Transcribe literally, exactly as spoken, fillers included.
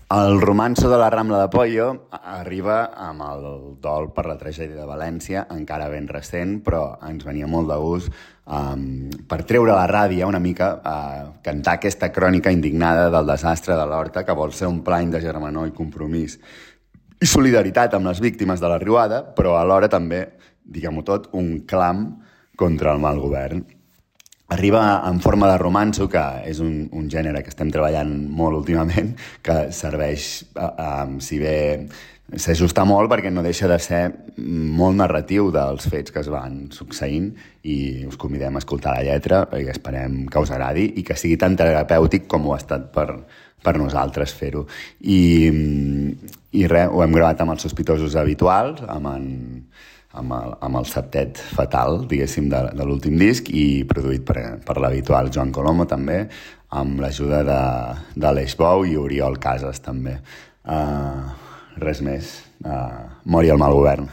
El romanço de la Rambla de Pollo arriba amb el dol per la tragèdia de València, encara ben recent, però ens venia molt de gust um, per treure la ràbia una mica, uh, cantar aquesta crònica indignada del desastre de l'Horta, que vol ser un plany de germanor i compromís i solidaritat amb les víctimes de la riuada, però alhora també, diguem-ho tot, un clam contra el mal govern. Arriba en forma de romanço, que és un, un gènere que estem treballant molt últimament, que serveix, eh, eh, si bé s'ajusta molt, perquè no deixa de ser molt narratiu dels fets que es van succeint, i us convidem a escoltar la lletra, i esperem que us agradi i que sigui tan terapèutic com ho ha estat per, per nosaltres fer-ho. I, i res, ho hem gravat amb els sospitosos habituals, amb en... amb el, amb el septet fatal, diguéssim, de, de l'últim disc, i produït per, per l'habitual Joan Colomo, també, amb l'ajuda de, de l'Eix Bou i Oriol Casas, també. Uh, res més. Uh, mori el mal govern.